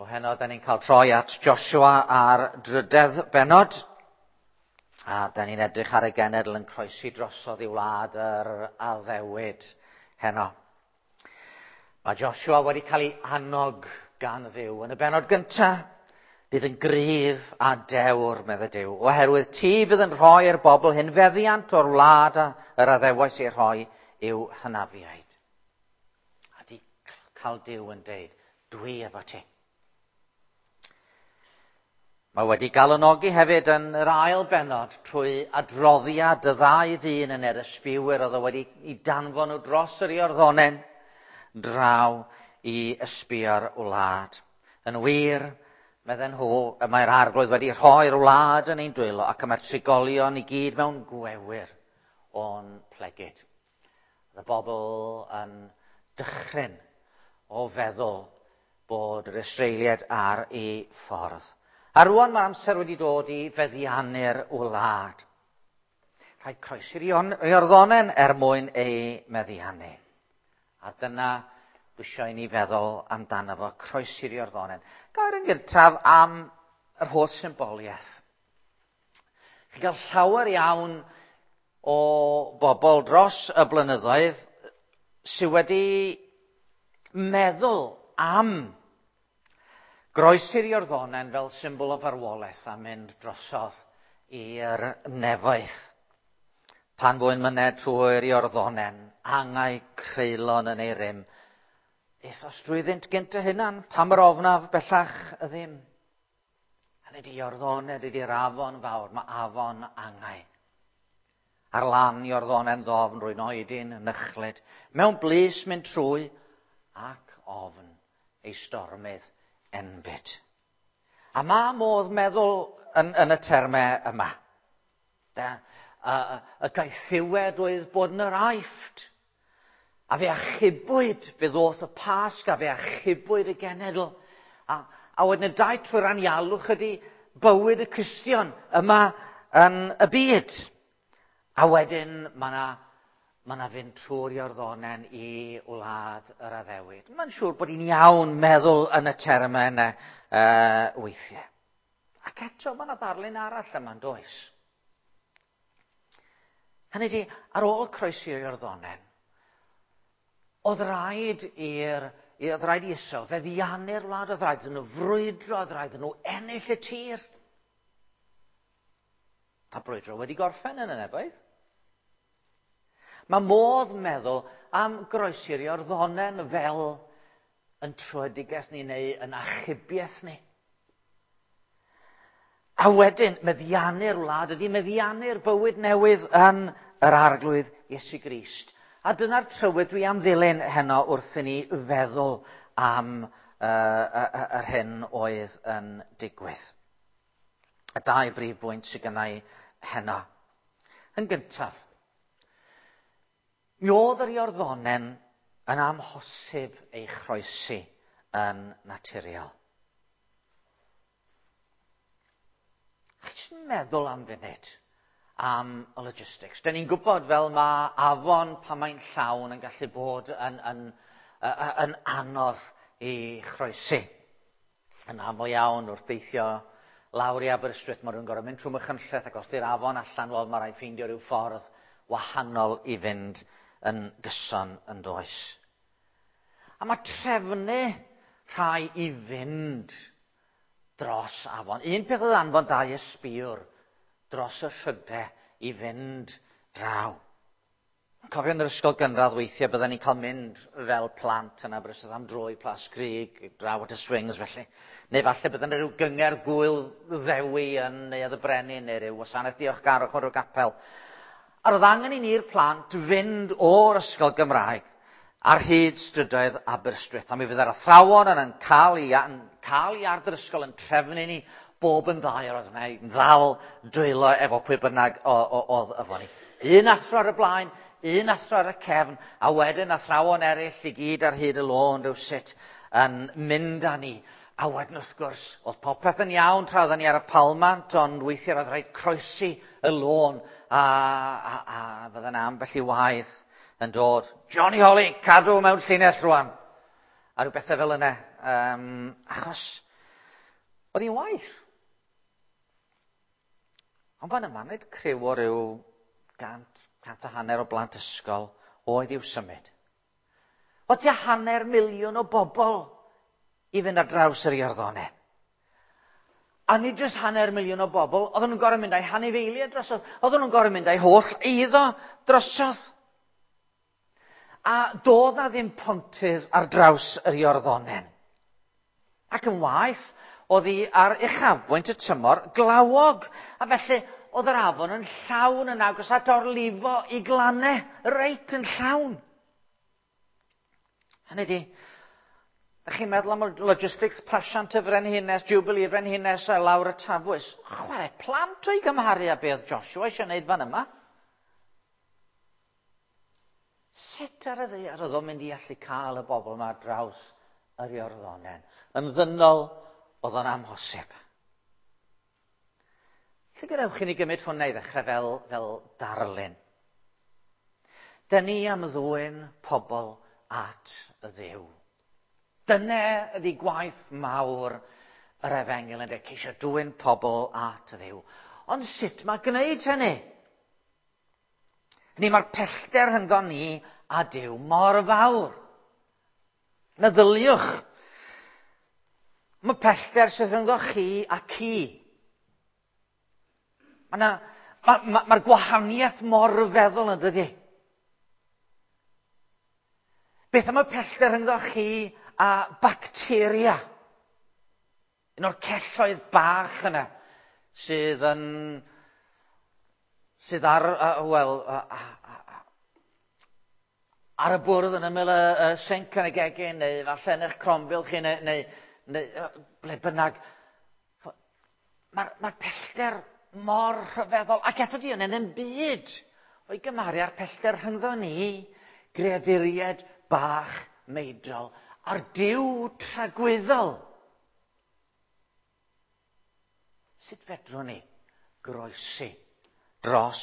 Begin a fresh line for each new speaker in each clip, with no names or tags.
O heno, da ni'n cael troi at Joshua ar drydedd bennod. A da ni'n edrych ar y genedl yn croesi drosodd i wlad yr addewid heno. Mae Joshua wedi cael ei annog gan Dduw. Yn y bennod gyntaf, bydd yn gryf a dewr, medde Duw, oherwydd ti fydd yn rhoi'r bobl hyn feddiant o'r wlad a yr addewais ei rhoi i'w hynafiaid. A di cael Duw yn deud, dwi efo ti. Mae wedi galonogi hefyd yn yr ail bennod trwy adroddiad y ddau ddyn yn yr ysbiwyr oedd o wedi i danfon nhw dros yr Iorddonen draw i ysbio'r wlad. Yn wir, medden nhw, y mae'r arglwydd wedi rhoi'r wlad yn ein dwylo ac y mae'r trigolion i gyd mewn gwewyr o'n plegid. Oedd y bobl yn dychryn o feddwl bod yr Israeliaid ar ei ffordd. A rwan mae'r amser wedi dod i feddiannu'r wlad. Rhaid croesi'r Iorddonen er mwyn ei meddiannu. A dyna dwi eisiau i ni feddwl amdano fo, croesi'r Iorddonen. Gair yn gyntaf am yr holl symboliaeth. Chi'n cael llawer iawn o bobl dros y blynyddoedd sydd wedi meddwl am groesi'r Iorddonen fel symbol o farwolaeth a mynd drosodd i'r nefoedd. Pan fwy'n myned trwy'r Iorddonen, angau creulon yn ei rym, Aethos drwyddynt gynt y hunan, pam yr ofnaf bellach y ddim. Hynny ydi Iorddonen, ydy'r afon fawr, mae afon angau. Ar lan Iorddonen ddofn rwy'n oedi'n nychlyd, mewn blys mynd trwy ac ofn ei stormydd enbyd. A mae modd meddwl yn y termau yma. Da, y gaethiwed oedd bod yn yr Aifft. A fe achubwyd, fe ddoth y Pasg, a fe achubwyd y genedl. A wedyn y daith trwy'r anialwch ydy bywyd y Cristion yma yn y byd. A wedyn mae yna ma fynd trwy'r Iorddonen i wlad yr addewid. Mae'n siŵr bod hi'n iawn meddwl yn y termau yna weithiau. Ac eto mae yna ddarlun arall yma'n does. Hynny ydi, ar ôl croesi'r Iorddonen, oedd rhaid oedd rhaid i Israel feddiannu'r wlad, oedd rhaid iddyn nhw frwydro, oedd rhaid iddyn nhw ennill y tir. A brwydro wedi gorffen yn y nefoedd. Mae modd meddwl am groesi'r Iorddonen fel yn tröedigaeth ni neu yn achubiaeth ni. A wedyn, meddiannu'r wlad ydy meddiannu'r bywyd newydd yn yr Arglwydd Iesu Grist. A dyna'r trywydd dwi am ddilyn heno wrth i ni feddwl am yr hyn oedd yn digwydd. Y dau brif bwynt sydd gynna i heno. Yn gyntaf, mi oedd yr Iorddonen yn amhosib ei chroesi yn naturiol. Chi jyst yn meddwl am funud am y logistics. Dyn ni'n gwybod fel mae afon pan mae'n llawn yn gallu bod yn anodd i chroesi. Yn aml iawn wrth deithio lawr i Aberystwyth, mae rhywun gorfod mynd trwy Machynlleth ac os di'r afon allan, wel, mae rhaid ffeindio rhyw ffordd wahanol i fynd yn gyson yn does. A mae trefnu rhai i fynd dros afon. Un peth oedd anfon dau ysbïwr dros y rhydau i fynd draw. Cofio yn yr ysgol gynradd weithiau bydden ni'n cael mynd fel plant yn Aberystwyth am dro i Plas Crug, draw at y swings felly. Neu falle bydden rhyw gyngerdd gwyl Ddewi yn Neuadd y Brenin neu rhyw wasanaeth diolchgarwch o'r gapel. A roedd angen i ni'r plant fynd o'r ysgol Gymraeg ar hyd strydoedd Aberystwyth. A mi fydde'r athrawon yn cael i iard yr ysgol yn trefnu ni bob yn ddau, oedd yna yn ddal dwylo efo pwy bynnag oedd efo ni. Un athro ar y blaen, un athro ar y cefn, a wedyn athrawon eraill i gyd ar hyd y lôn rywsut yn mynd â ni. A wedyn wrth gwrs, oedd popeth yn iawn tra oedden ni ar y palmant, ond weithiau roedd rhaid croesi y lôn, a fydden ambell i waith yn dod. Johnny Holly, cadw mewn llinell rwan. A rhyw bethau fel yna. Achos Oedd hi'n waith. Ond fan yma, nid criw o ryw gant, 150 o blant ysgol oedd i'w symud. O tua 500,000 o bobl i fynd ar draws yr Iorddonen. A nid jyst 500,000 o bobl, oedden nhw'n gorfod mynd â'u hanifeiliaid drosodd, oedden nhw'n gorfod mynd â'u holl eiddo drosodd. A doedd na ddim pontydd ar draws yr Iorddonen. Ac yn waeth, oedd hi ar uchafbwynt y tymor glawog, a felly oedd yr afon yn llawn yn agos at orlifo i glannau, reit yn llawn. Hynny ydi, da chi'n meddwl am y logistics pasiant y Frenhines, Jubilee y Frenhines a lawr y Tafwys. Chwarae plant o'i gymharu â beth Joshua eisiau gwneud fan yma. Sut ar y ddaear oedd o'n mynd i allu cael y bobl yma ar draws yr Iorddonen? Yn ddynol, oedd o'n amhosib. Felly gadewch i ni gymryd hwnna i ddechrau fel, fel darlun. Dyn ni am ddwyn pobl at y Dduw. Dyna ydy gwaith mawr yr efengyl yn ceisio dwyn pobl at y Dduw. Ond sut mae gwneud hynny? Hynny mae'r pellter rhyngddon ni a Duw mor fawr. Meddyliwch. Mae pellter sydd rhyngddo chi a ci. Mae'r ma, ma, ma gwahaniaeth mor ryfeddol yn dydy. Beth am y pellter rhyngddo chi a bacteria? Un o'r celloedd bach yna sydd yn sydd ar, wel, ar y bwrdd yn ymyl y, y sinc yn y gegin, neu falle yn eich crombil chi, neu, neu, neu ble bynnag. Mae'r ma pellter mor rhyfeddol, ac eto di yn ddim byd o'i gymharu â'r pellter rhyngddo ni, greaduriaid bach meidrol, a'r Duw tragwyddol. Sut fedrwn ni groesi dros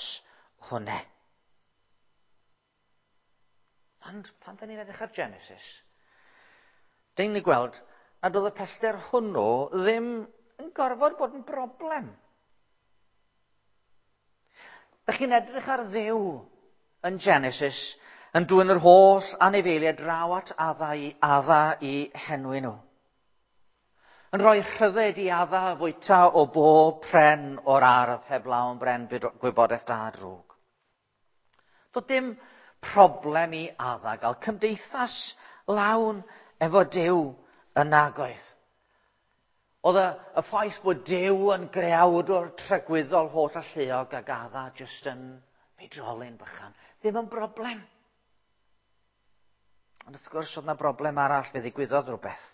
hwnna? Ond pan da ni'n edrych ar Genesis, dyn ni'n gweld nad oedd y pellter hwnnw ddim yn gorfod bod yn broblem. Da chi'n edrych ar Dduw yn Genesis yn dwyn yr holl anifeiliaid draw at Adda i Adda i henwi nhw. Yn rhoi rhyddid i Adda fwyta o bob pren o'r ardd heblaw am bren gwybodaeth da a drwg. Doedd dim problem i Adda gael cymdeithas lawn efo Duw yn nagoedd. Oedd y, y ffaith bod Duw yn greawdwr tragwyddol holl alluog ag Adda jyst yn feidrolyn bychan, ddim yn broblem. Ond wrth gwrs, oedd yna broblem arall, fe ddigwyddodd rhywbeth.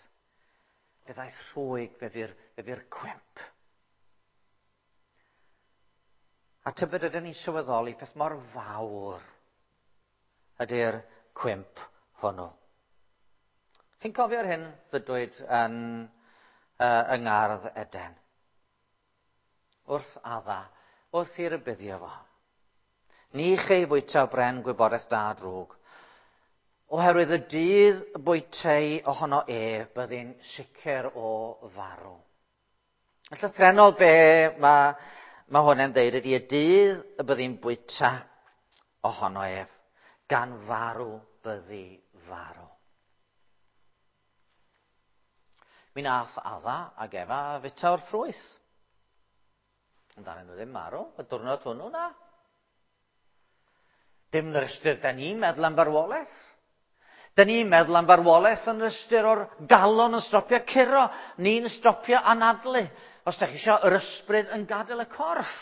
Fe ddaeth rhwyg, fe fu'r, fe fu'r cwymp. A tybed ydyn ni'n sylweddoli peth mor fawr ydy'r cwymp hwnnw. Chi'n cofio'r hyn ddydwyd yn, yng Ngardd Eden? Wrth Adda, wrth i rybuddio fo. Ni chei fwyta o bren gwybodaeth da a drwg, oherwydd y dydd y bwytei ohono ef, byddi'n sicr o farw. Yn llythrennol be mae, mae hwn yn dweud ydy y dydd y byddi'n bwyta ohono ef, gan farw byddi farw. Mi nath Adda ag Efa fwyta o'r ffrwyth. Ond ddaru nhw ddim marw y diwrnod hwnnw, na. Dim yn yr ystyr da ni'n meddwl am farwolaeth. Da ni'n meddwl am farwolaeth yn yr ystyr o'r galon yn stopio curo, ni'n stopio anadlu. Os da chi eisiau, yr ysbryd yn gadael y corff.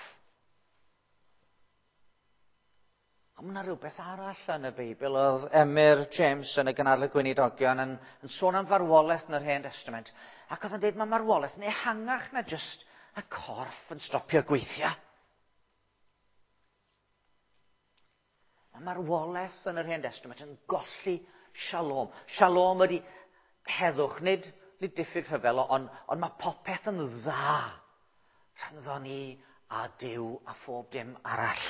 Ond mae yna rhywbeth arall yn y Beibl. Oedd Emyr James yn y Gynadledd Gweinidogion yn, yn sôn am farwolaeth yn yr Hen Testament. Ac oedd yn dweud mae marwolaeth yn ehangach na jyst y corff yn stopio gweithio. Mae marwolaeth yn yr Hen Testament yn golli shalom. Shalom ydy heddwch, nid, nid diffyg rhyfel, ond, ond mae popeth yn dda rhyngddo ni a Duw a phob dim arall.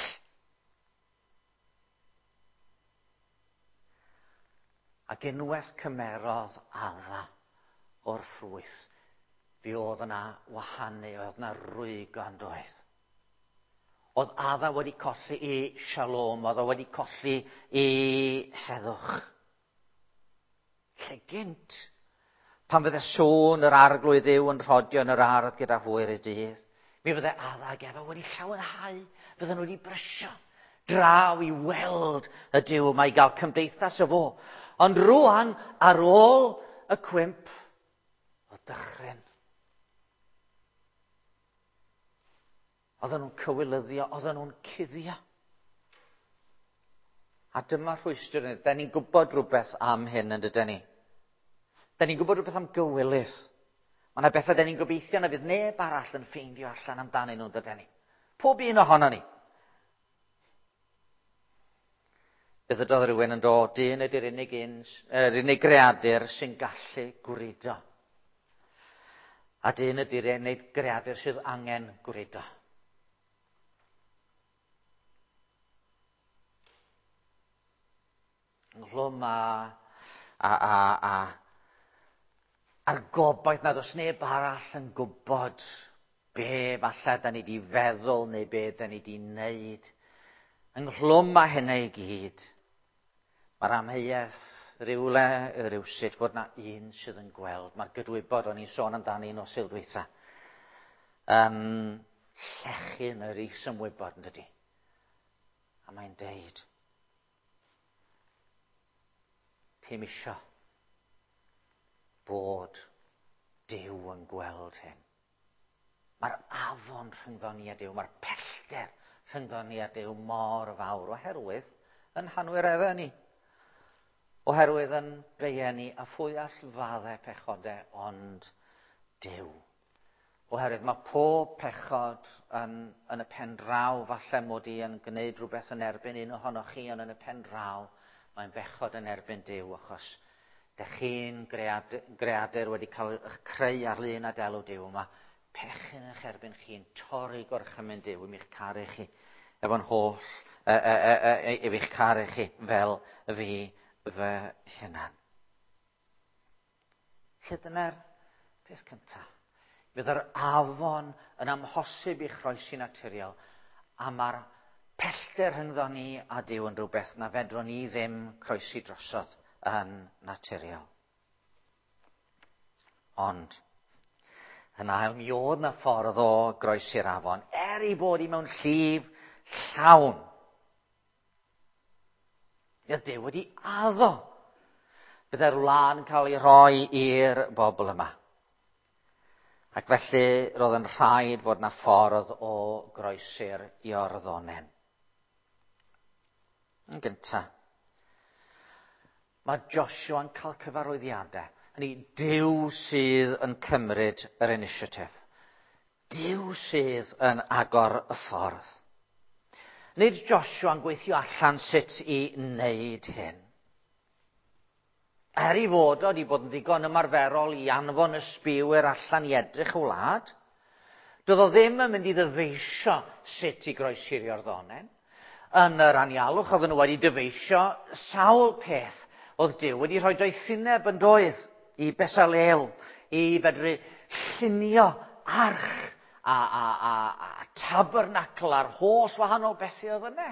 Ac unwaith cymerodd Adda o'r ffrwyth, Fi oedd yna wahanu, oedd yna rwygo yn doedd. Oedd Adda wedi colli i shalom, oedd o wedi colli i heddwch. Lle gynt, pan fydde sôn yr arglwydd yw yn rhodio yn yr ardd gyda hwyr y dydd, mi fydde Adda ag Efa wedi llawenhau, fydden nhw wedi brysio draw i weld y Duw yma, i gael cymdeithas o fo. Ond rwan, ar ôl y cwymp, o dychryn. Oedden nhw'n cywilyddio, oedden nhw'n cuddio. A dyma rhwystr ni. Da ni'n gwybod rhywbeth am hyn yn dydyn ni. Da ni'n gwybod rhywbeth am gywilydd. Mae yna bethau da ni'n gobeithio na fydd neb arall yn ffeindio allan amdanyn nhw'n dydyn ni. Pob un ohono ni. Beth ydodd rhywun yn dod, dyn ydy'r unig, un, yr unig greadur sy'n gallu gwrido. A dyn ydy'r unig greadur sydd angen gwrido. Ynghlwm a, a, a, a, a'r gobaith nad oes neb arall yn gwybod be falle da ni wedi feddwl neu be da ni wedi wneud. Ynghlwm â hynna i gyd, mae'r amheuaeth rywle, rywsut, fod na un sydd yn gweld. Mae'r gydwybod o'n i'n sôn amdani nos Sul dwytha. Yn llechu yn yr is-ymwybod, yn dydi? A mae'n deud, ti'n isio bod Duw yn gweld hyn. Mae'r afon rhyngddo ni a Duw, mae'r pellter rhyngddo ni a Duw mor fawr oherwydd yn hanwireddau ni. Oherwydd yn beiau ni a phwy all faddau pechodau ond Duw. Oherwydd mae pob pechod yn, yn y pen draw, falle mod i yn gwneud rhywbeth yn erbyn un ohonoch chi, ond yn y pen draw mae'n bechod yn erbyn Duw, achos dych chi'n greadur, greadur wedi cael eich creu ar lun a delw Duw. Mae pechyn eich erbyn chi'n torri gorchymyn Duw i mi'ch caru chi efo'n holl, e, e, e, e, i fi'ch caru chi fel fi fy hunan. Lle dyna'r peth cyntaf. Bydd yr afon yn amhosib i chroesi naturiol, a mae'r pellter rhyngddo ni a Duw yn rhywbeth na fedrwn ni ddim croesi drosodd yn naturiol. Ond, yn ail, mi oedd na ffordd o groesi'r afon, er ei bod i mewn llif llawn. Oedd Duw wedi addo bydde'r wlad yn cael ei rhoi i'r bobl yma. Ac felly roedd yn rhaid fod na ffordd o groesi'r Iorddonen. Yn gyntaf, mae Joshua yn cael cyfarwyddiadau. Hynny, Duw sydd yn cymryd yr initiative. Duw sydd yn agor y ffordd. Nid Joshua yn gweithio allan sut i wneud hyn. Er ei fod o wedi bod yn ddigon ymarferol i anfon y sbiwyr allan i edrych y wlad, doedd o ddim yn mynd i ddyfeisio sut i groesi'r Iorddonen. Yn yr anialwch oedden nhw wedi dyfeisio sawl peth oedd Duw wedi rhoi doethineb yn doedd i Besalel i fedru llunio arch a, a, a, a tabernacl a'r holl wahanol bethau oedd yna.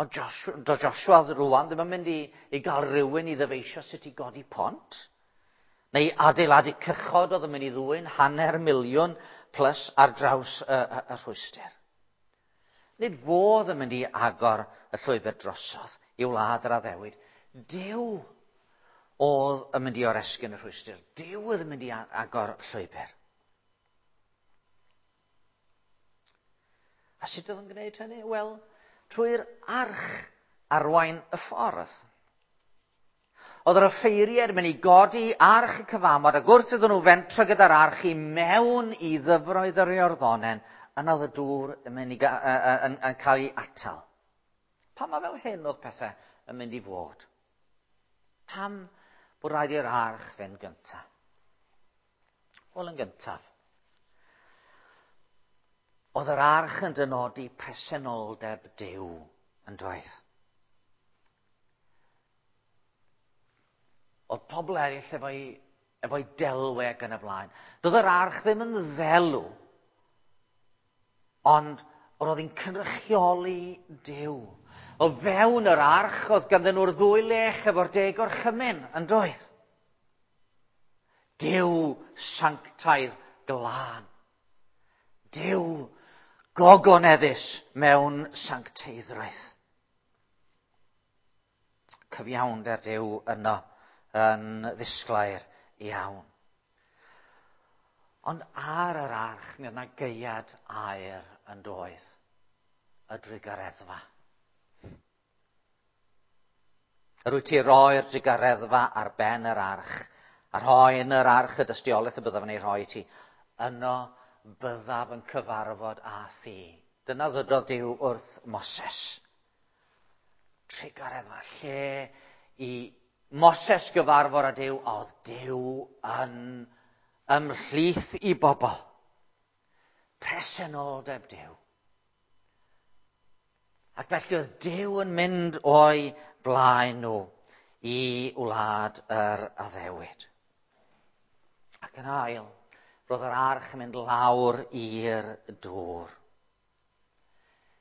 Ond Joshua, do Joshua rwan ddim yn mynd i, i gael rhywun i ddyfeisio sut i godi pont, neu adeiladu cychod oedd yn mynd i ddwyn 500,000 plus ar draws y, y, y rhwystr. Nid fodd yn mynd i agor y llwybr drosodd i wlad yr addewid. Duw oedd yn mynd i oresgyn y rhwystr. Duw oedd yn mynd i agor llwybr. A sut oedd yn gwneud hynny? Wel, trwy'r arch arwain y ffordd. Oedd yr offeiriaid yn mynd i godi arch y cyfamod ac wrth iddyn nhw fentro gyda'r arch i mewn i ddyfroedd yr Iorddonen, yna oedd y dŵr yn, mynd i, yn, yn, yn cael ei atal. Pam mae fel hyn oedd pethau yn mynd i fod? Pam bod rhaid i'r arch fynd gyntaf? Wel, yn gyntaf, oedd yr arch yn dynodi presenoldeb Duw yn dweud. Oedd pobl eraill efo'i Efo'i delwe ac yn y blaen. Doedd yr arch ddim yn ddelw, ond roedd hi'n cynrychioli Duw. O fewn yr arch oedd ganddyn nhw'r ddwy lech efo'r deg orchymyn, yn doedd? Duw sanctaidd glân. Duw gogoneddus mewn sancteiddrwydd. Cyfiawnder Duw yno yn ddisglair iawn. Ond ar yr arch mi oedd yna gaead aur yn doedd, y drugareddfa. Yr wyt ti roi'r drugareddfa ar ben yr arch, a rhoi yn yr arch y dystiolaeth y byddaf yn ei rhoi i ti. Yno byddaf yn cyfarfod â thi. Dyna ddydodd Duw wrth Moses. Trugareddfa, lle i Moses gyfarfod â Duw, oedd Duw yn ymhlith i bobl. Presenoldeb Duw. Ac felly oedd Duw yn mynd o'i blaen nhw i wlad yr addewid. Ac yn ail, roedd yr arch yn mynd lawr i'r dŵr.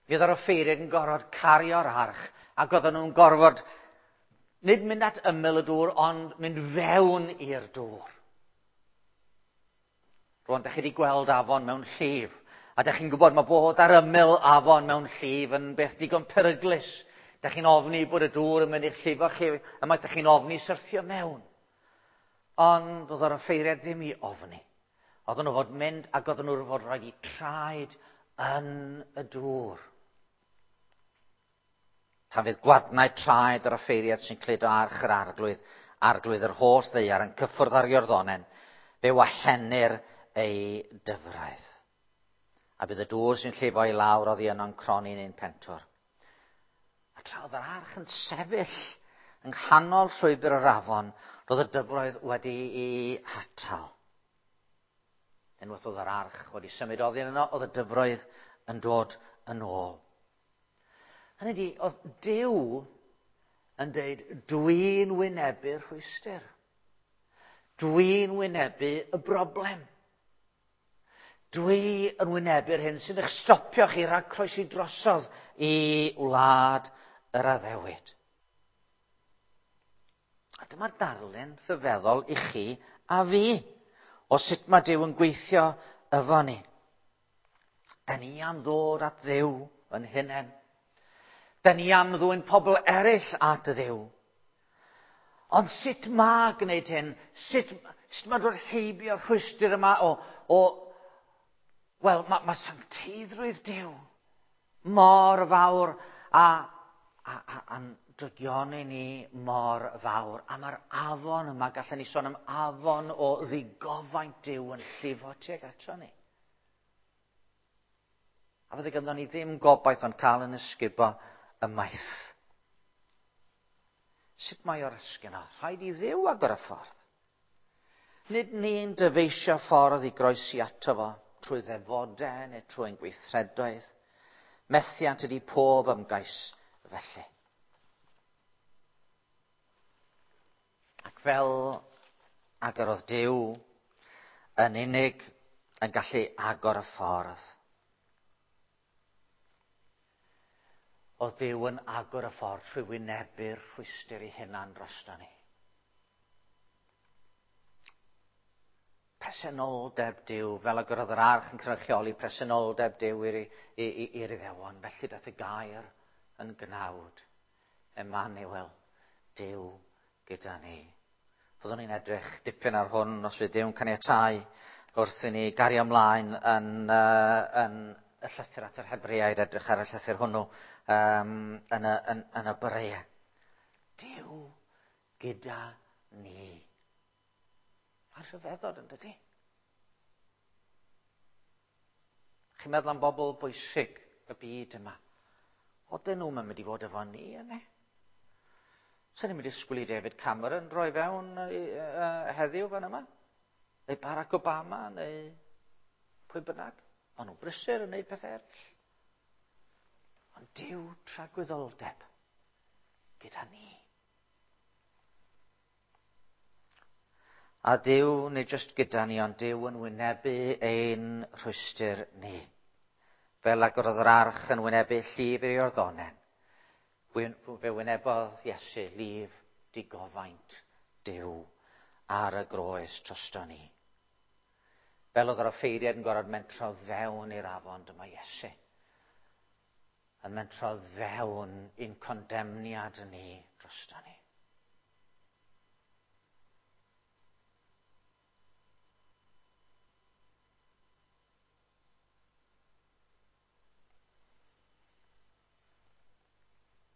Mi oedd yr offeiriaid yn gorfod cario'r arch, ac oedden nhw'n gorfod nid mynd at ymyl y dŵr, ond mynd fewn i'r dŵr. Rwan, da chi wedi gweld afon mewn llif, a da chi'n gwybod mae bod ar ymyl afon mewn llif yn beth digon peryglus. Da chi'n ofni bod y dŵr yn mynd i'ch llifo chi, a mae da chi'n ofni syrthio mewn. Ond oedd yr offeiriad ddim i ofni. Oedden nhw fod mynd ac oedden nhw fod rhaid i traed yn y dŵr. Pan fydd gwadnau traed yr offeiriad sy'n cludo arch yr arglwydd, arglwydd yr holl ddaear yn cyffwrdd ar Iorddonen, fe wallennir ei dyfroedd. A bydd y dŵr sy'n llifo i lawr oddi yno'n croni'n un pentwr. A tra oedd yr arch yn sefyll yng nghanol llwybr yr afon, roedd y dyfroedd wedi'i hatal. Unwaith oedd yr arch wedi symud oddi yno, oedd y dyfroedd yn dod yn ôl. Hynny ydi, oedd Duw yn deud, dwi'n wynebu'r rhwystr. Dwi'n wynebu y broblem. Dwi yn wynebu'r hyn sy'n eich stopio chi rhag croesi drosodd i wlad yr addewid. A dyma'r darlun rhyfeddol i chi a fi o sut mae Duw yn gweithio efo ni. Da ni am ddod at Dduw yn hunain. Da ni am ddwyn pobl eraill at Dduw. Ond sut mae gwneud hyn? Sut, sut mae dod heibio'r rhwystr yma o... o wel, mae, mae sancteiddrwydd Duw mor fawr a, a, a, a'n drygioni ni mor fawr. A mae'r afon yma, gallen ni sôn am afon o ddigofaint Duw yn llifo tuag ato ni. A fydde ganddo ni ddim gobaith ond cael yn ysgubo ymaith. Sut mae o'r esgyn o? Rhaid i Dduw agor y ffordd. Nid ni'n dyfeisio ffordd i groesi ato fo trwy ddefodau neu trwy'n gweithredoedd. Methiant ydy pob ymgais felly. Ac fel agorodd Duw yn unig yn gallu agor y ffordd. Oedd Duw yn agor y ffordd trwy wynebu'r rhwystr ei hunan drosto ni. Presenoldeb Duw, fel agorodd yr arch yn cynrychioli presenoldeb Duw i'r Iddewon. Felly daeth y gair yn gnawd. Emmanuel, Duw gyda ni. Fyddwn ni'n edrych dipyn ar hwn os fydd Duw'n caniatáu wrth i ni gario ymlaen yn, uh, yn y llythyr at yr Hebreaid, edrych ar y llythyr hwnnw um, yn, y, yn, yn y boreau. Duw gyda ni. Mae'n rhyfeddod yn dydy? Chi'n meddwl am bobl bwysig y byd yma. Oedden nhw'n mynd i fod efo ni yna. Sa'n ni'n mynd i disgwyl i David Cameron droi fewn heddiw fan yma? Neu Barack Obama, neu pwy bynnag. Maen nhw'n brysur yn gwneud pethau eraill. Ond Duw tragwyddoldeb gyda ni. A Duw, nid jyst gyda ni, ond Duw yn wynebu ein rhwystr ni. Fel ag oedd yr arch yn wynebu llif i'r Iorddonen, fe wynebodd Iesu lif digofaint Duw ar y groes drosto ni. Fel oedd yr offeiriad yn gorfod mentro fewn i'r afon, dyma Iesu yn mentro fewn i'n condemniad ni drosto ni.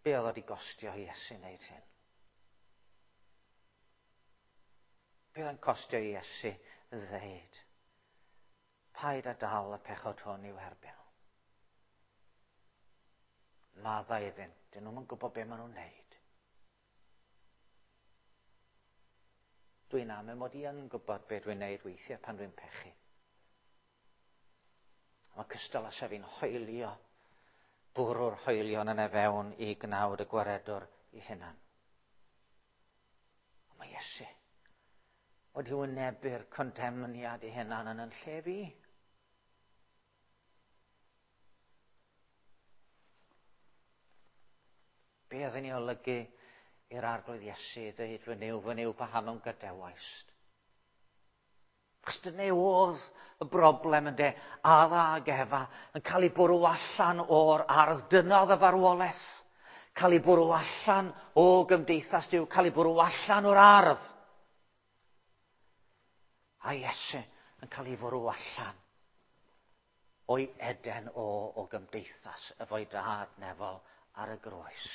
Be oedd wedi gostio i Iesu wneud hyn? Be oedd yn costio i Iesu ddeud? Paid â dal y pechod hwn i'w herbyn. Maddau iddynt. Dyn nhw'n gwybod be maen nhw'n wneud. Dwi'n am mod i yn gwybod be dwi'n wneud weithiau pan dwi'n pechu. Mae cystal â sef fi'n hoelio, bwrw'r hoelion yna fewn i gnawd y gwaredwr i hunan. Ond mae Iesu wedi wynebu'r condemniad i hunan yn yn lle fi. Be oedd yn ei olygu i'r Arglwydd Iesu ddweud, fy Nuw, fy Nuw, paham a'm gadawaist? Achos dyna oedd y broblem ynde, Adda ag Efa yn cael ei bwrw allan o'r ardd. Dyna oedd y farwolaeth. Cael ei bwrw allan o gymdeithas Duw, cael ei bwrw allan o'r ardd. A Iesu yn cael ei fwrw allan o'i Eden o, o gymdeithas efo'i dad nefol ar y groes.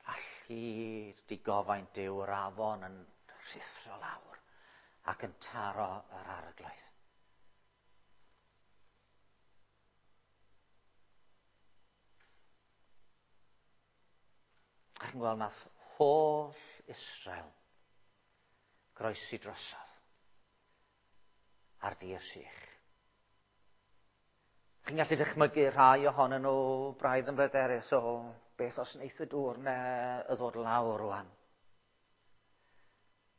A llid digofaint Duw yr afon yn rhuthro lawr ac yn taro yr Arglwydd. A chi'n gweld nath holl Israel groesi drosodd ar dir sych. Chi'n gallu dychmygu rhai ohonyn nhw braidd yn bryderus o beth os wneith y dŵr ne y ddod lawr rwan.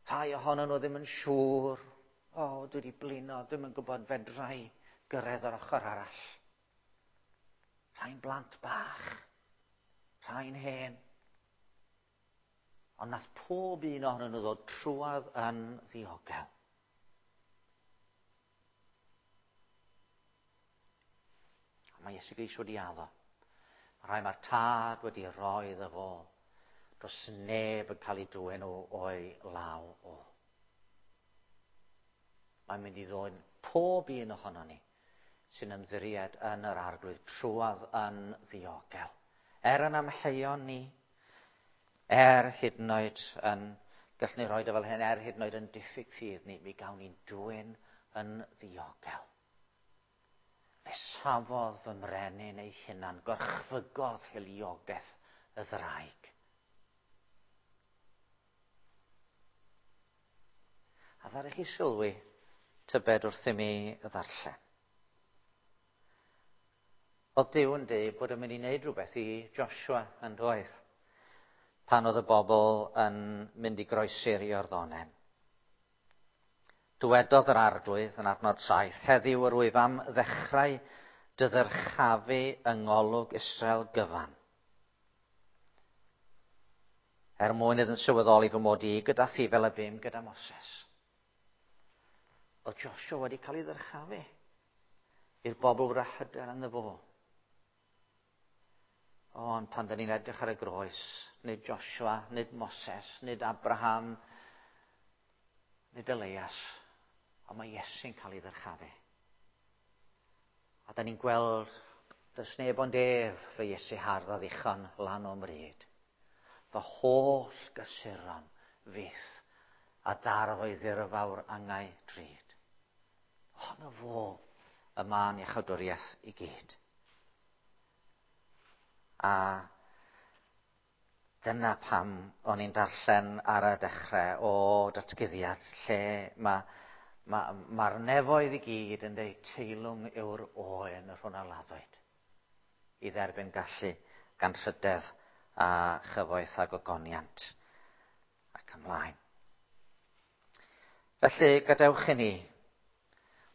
Rhai ohonyn nhw ddim yn siŵr. O, dwi wedi blino, dwi'm yn gwybod fedra i gyrraedd yr ochr arall. Rhai'n blant bach, rhai'n hen. Ond nath pob un ohonyn nhw ddod trwadd yn ddiogel. A mae Iesu Grist wedi addo. Mae rhai mae'r Tad wedi rhoi iddo fo. Does neb yn cael ei dwyn o o'i law o. Mae'n mynd i ddwyn pob un ohono ni sy'n ymddiried yn yr Arglwydd trwadd yn ddiogel. Er yn amheuon ni, er hyd yn oed yn, gallwn ni roi o fel hyn, er hyd yn oed yn diffyg ffydd ni, mi gawn ni'n dwyn yn ddiogel. Fe safodd fy mrenin ei hunan, gorchfygodd hiliogaeth y ddraig. A ddaru chi sylwi tybed wrth i mi ddarllen. Oedd Duw yn dweud bod yn mynd i wneud rhywbeth i Joshua yn doedd, pan oedd y bobl yn mynd i groesi'r Iorddonen. Dywedodd yr Arglwydd yn adnod 7, heddiw yr wyf am ddechrau dy ddyrchafu yng ngolwg Israel gyfan. Er mwyn iddynt sylweddoli fy mod i gyda thi fel y bum gyda Moses. Oedd Joshua wedi cael ei ddyrchafu i'r bobl fod â hyder ynddo fo. Ond pan dyn ni'n edrych ar y groes, nid Joshua, nid Moses, nid Abraham, nid Elias, ond mae Iesu'n cael ei ddyrchafu. A da ni'n gweld, does neb ond ef, fy Iesu hardd a ddichon lan o'm mryd. Fy holl gysuron fyth a dardd o'i ddirfawr angau drud. Ohono fo y mân iachawdwriaeth i gyd. A dyna pam o'n i'n darllen ar y dechrau o datguddiad lle mae'r ma, ma nefoedd i gyd yn dweud teilwng yw'r oen yr hwn a laddwyd i dderbyn gallu gan rhydedd a chyfoeth a gogoniant. Ac ymlaen. Felly, gadewch i ni,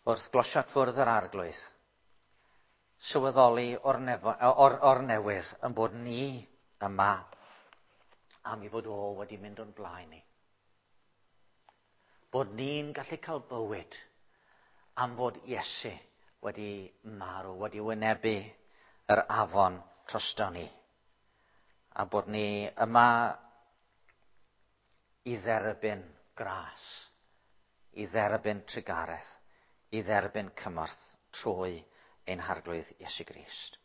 wrth glosiad fwrdd yr Arglwydd, sylweddoli o'r, nefo, or, or newydd yn bod ni yma am i fod o wedi mynd o'n blaen ni. Bod ni'n gallu cael bywyd am fod Iesu wedi marw, wedi wynebu yr afon drosto ni. A bod ni yma i dderbyn gras, i dderbyn trugaredd, i dderbyn cymorth trwy ein Harglwydd Iesu Grist.